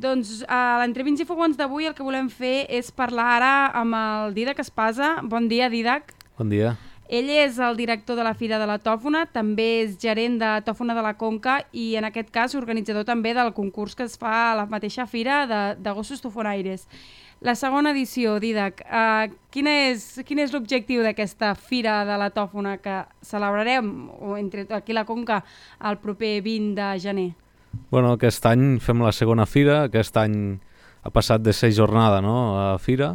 Doncs a l'Entre Vins i Fogons d'avui el que volem fer és parlar ara amb el Dídac Espasa. Bon dia, Dídac. Bon dia. Ell és el director de la Fira de la Tòfona, també és gerent de Tòfona de la Conca i en aquest cas organitzador també del concurs que es fa a la mateixa fira de gossos tofonaires. La segona edició, Dídac, quin és l'objectiu d'aquesta Fira de la Tòfona que celebrarem entre aquí a la Conca el proper 20 de gener? Bueno, aquest any fem la segona fira, aquest any ha passat de ser jornada, no?, a fira,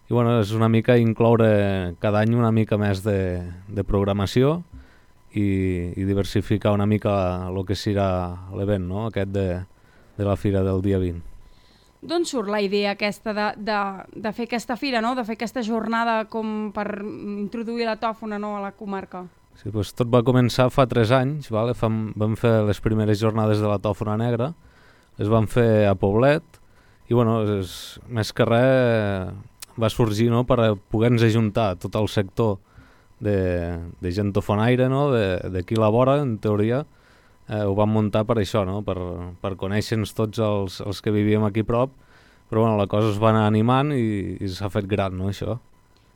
i bueno, és una mica incloure cada any una mica més de programació i diversificar una mica el que serà l'event, no?, aquest de la fira del dia 20. D'on surt la idea aquesta de fer aquesta fira, no?, de fer aquesta jornada com per introduir la tòfona, no?, a la comarca? Sí, doncs tot va començar fa 3 anys, vale? Vam fer les primeres jornades de la tòfona negra, les vam fer a Poblet, i bueno, més que res va sorgir, no?, per poder-nos ajuntar tot el sector de gent tofonaire, no?, d'aquí a la vora, en teoria, ho vam muntar per això, no?, per conèixer-nos tots els que vivíem aquí a prop, però bueno, la cosa es va anar animant i s'ha fet gran, no?, això.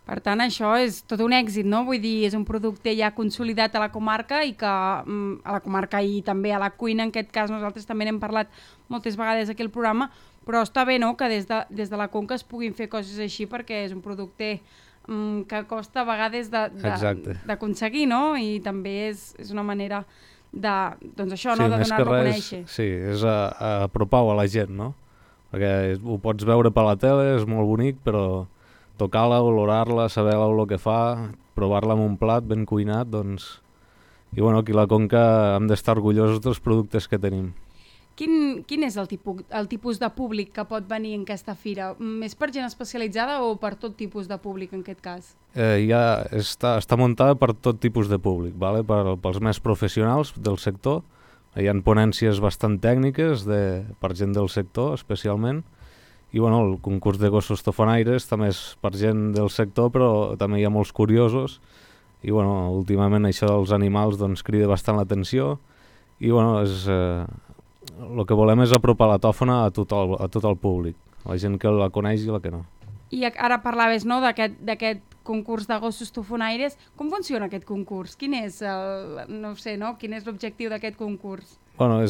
Per tant, això és tot un èxit, no? Vull dir, és un producte ja consolidat a la comarca i que a la comarca i també a la cuina, en aquest cas nosaltres també n'hem parlat moltes vegades aquí al programa, però està bé, no?, que des de la Conca es puguin fer coses així perquè és un producte que costa a vegades d'aconseguir, no? I també és una manera doncs això, no?, de donar-lo a conèixer. Sí, és apropar-ho a la gent, no? Perquè ho pots veure per la tele, és molt bonic, però tocar-la, olorar-la, saber-la el que fa, provar-la amb un plat ben cuinat, doncs... I bueno, aquí a la Conca hem d'estar orgullosos dels productes que tenim. Quin és el tipus de públic que pot venir en aquesta fira? Més per gent especialitzada o per tot tipus de públic en aquest cas? Està muntada per tot tipus de públic, vale? Pels més professionals del sector. Hi ha ponències bastant tècniques per gent del sector, especialment. I bueno, el concurs de gossos tofonaires també és per gent del sector, però també hi ha molts curiosos. I bueno, últimament això dels animals doncs, crida bastant l'atenció. I bueno, el que volem és apropar la tòfona a tot el públic, la gent que la coneix i la que no. I ara parlaves, no?, d'aquest concurs de gossos tofonaires. Com funciona aquest concurs? Quin és quin és l'objectiu d'aquest concurs? Bueno,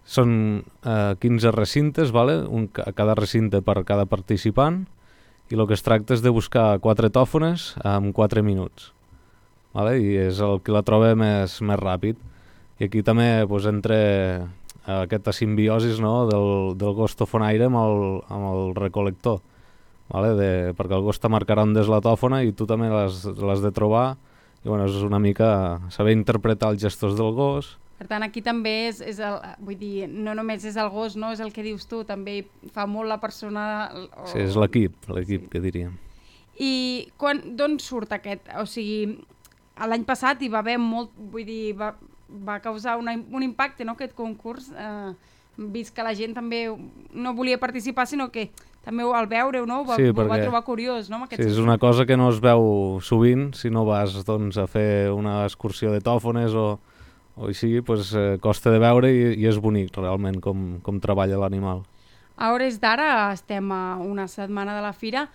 són 15 recintes, vale? A cada recinte per cada participant, i el que es tracta és de buscar 4 tòfones en 4 minuts. Vale? I és el que la troba més ràpid. I aquí també entra aquesta simbiosi, no?, del gos tofonaire amb el recolector. Vale? Perquè el gos te marcarà on és la tòfona i tu també l'has de trobar. I bueno, és una mica saber interpretar els gestos del gos. Per tant, aquí també vull dir, no només és el gos, no? És el que dius tu, també fa molt la persona... Sí, és l'equip que diríem. I d'on surt aquest? O sigui, l'any passat hi va haver molt, vull dir, va causar un impacte, no?, aquest concurs, vist que la gent també no volia participar, sinó que també al veure-ho, no?, ho va trobar curiós, no?, sí, és una cosa que no es veu sovint si no vas doncs, a fer una excursió de tòfones o així, doncs, costa de veure i és bonic realment com treballa l'animal. A hores d'ara estem a una setmana de la fira.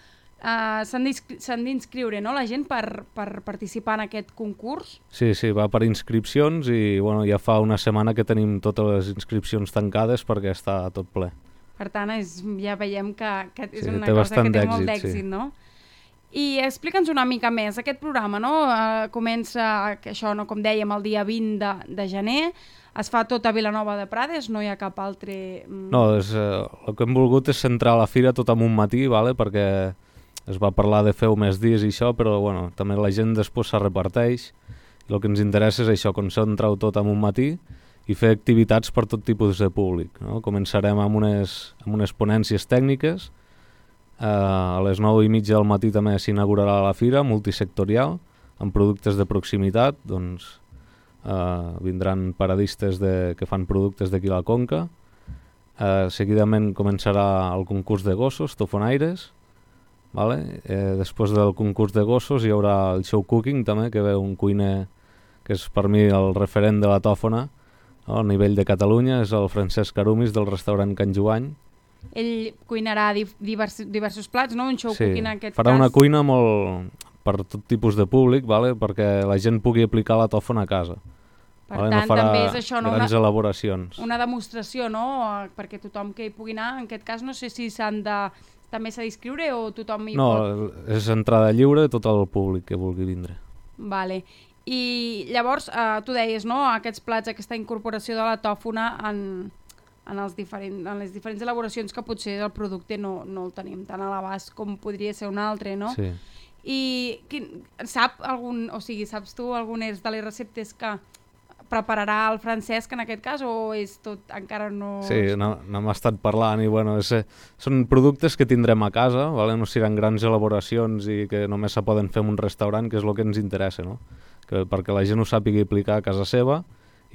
S'han d'inscriure, no?, la gent per participar en aquest concurs? Sí, va per inscripcions i bueno, ja fa una setmana que tenim totes les inscripcions tancades perquè està tot ple. Per tant, ja veiem que és una cosa que té molt d'èxit, no? I explica'ns una mica més, aquest programa, no? Comença, això, no, com dèiem, el dia 20 de gener, es fa tot a Vilanova de Prades, no hi ha cap altre... No, el que hem volgut és centrar la fira tot en un matí, vale? Perquè es va parlar de fer més dies i això, però bueno, també la gent després se reparteix. I el que ens interessa és això, concentrar-ho tot en un matí i fer activitats per tot tipus de públic, no? Començarem amb unes ponències tècniques. A les 9:30 del matí també s'inaugurarà la fira multisectorial amb productes de proximitat, doncs vindran paradistes que fan productes d'aquí a la Conca. Seguidament començarà el concurs de gossos, tofonaires, vale? Després del concurs de gossos hi haurà el show cooking també, que ve un cuiner que és per mi el referent de la tòfona, A nivell de Catalunya és el Francesc Carumis del restaurant Can Joany. Ell cuinarà diversos plats, no? Un show cooking en aquest farà cas. una cuina molt per tot tipus de públic, vale? Perquè la gent pugui aplicar la tòfona a casa. Per vale? tant, No farà també és això, no? grans elaboracions. Una demostració, no? Perquè tothom que hi pugui anar, en aquest cas no sé si també s'ha d'inscriure o tothom hi pot... No, és entrada lliure a tot el públic que vulgui vindre. Vale. I llavors, tu deies, no? Aquests plats, aquesta incorporació de la tòfona en les diferents elaboracions que potser el producte no el tenim tan a l'abast com podria ser un altre, no? Sí. I saps tu algunes de les receptes que prepararà el Francesc en aquest cas o és tot encara no... Sí, n'hem estat parlant i bueno, són productes que tindrem a casa, vale? No seran grans elaboracions i que només se poden fer en un restaurant, que és el que ens interessa, no? Perquè la gent ho sàpiga aplicar a casa seva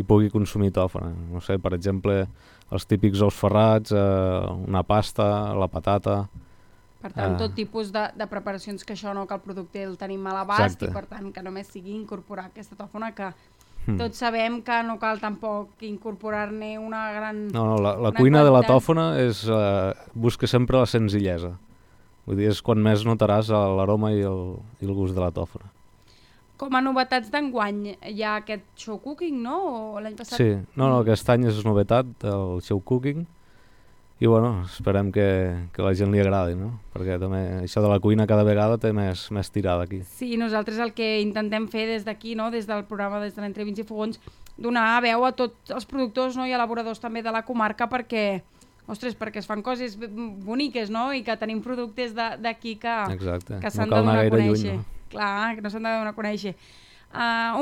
i pugui consumir tòfona. No sé, per exemple, els típics ous ferrats, una pasta, la patata... Per tant, tot tipus de preparacions que això no, que el producte el tenim a l'abast i per tant que només sigui incorporar aquesta tòfona que tots sabem que no cal tampoc incorporar-ne una gran... No, la cuina de la tòfona busca sempre la senzillesa. Vull dir, és quan més notaràs l'aroma i el gust de la tòfona. Com a novetats d'enguany, hi ha aquest show cooking, no? O l'any passat... Sí, no, aquest any és novetat, el show cooking, i bueno, esperem que la gent li agradi, no? Perquè també això de la cuina cada vegada té més tirada aquí. Sí, nosaltres el que intentem fer des d'aquí, no? Des del programa, des de l'Entre Vins i Fogons, donar veu a tots els productors, no? I elaboradors també de la comarca perquè es fan coses boniques, no? I que tenim productes d'aquí que s'han de donar a conèixer. Lluny, no? Clar, que no s'han de donar a conèixer.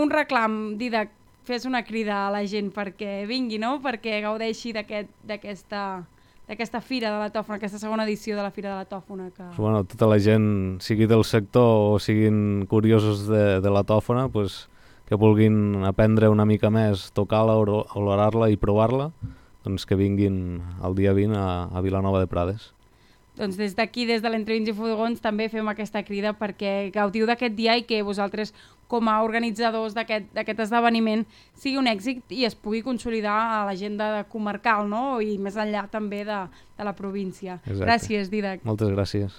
Un reclam, Didac, fes una crida a la gent perquè vingui, no? Perquè gaudeixi d'aquesta Fira de la Tòfona, aquesta segona edició de la Fira de la Tòfona. Bueno, tota la gent, sigui del sector o siguin curiosos de la tòfona, pues, que vulguin aprendre una mica més, tocar-la, olorar-la i provar-la, doncs que vinguin el dia 20 a Vilanova de Prades. Doncs des d'aquí, des de l'Entre Vins i Fogons, també fem aquesta crida perquè gaudiu d'aquest dia i que vosaltres, com a organitzadors d'aquest esdeveniment, sigui un èxit i es pugui consolidar a l'agenda comarcal, no? I més enllà també de la província. Exacte. Gràcies, Didac. Moltes gràcies.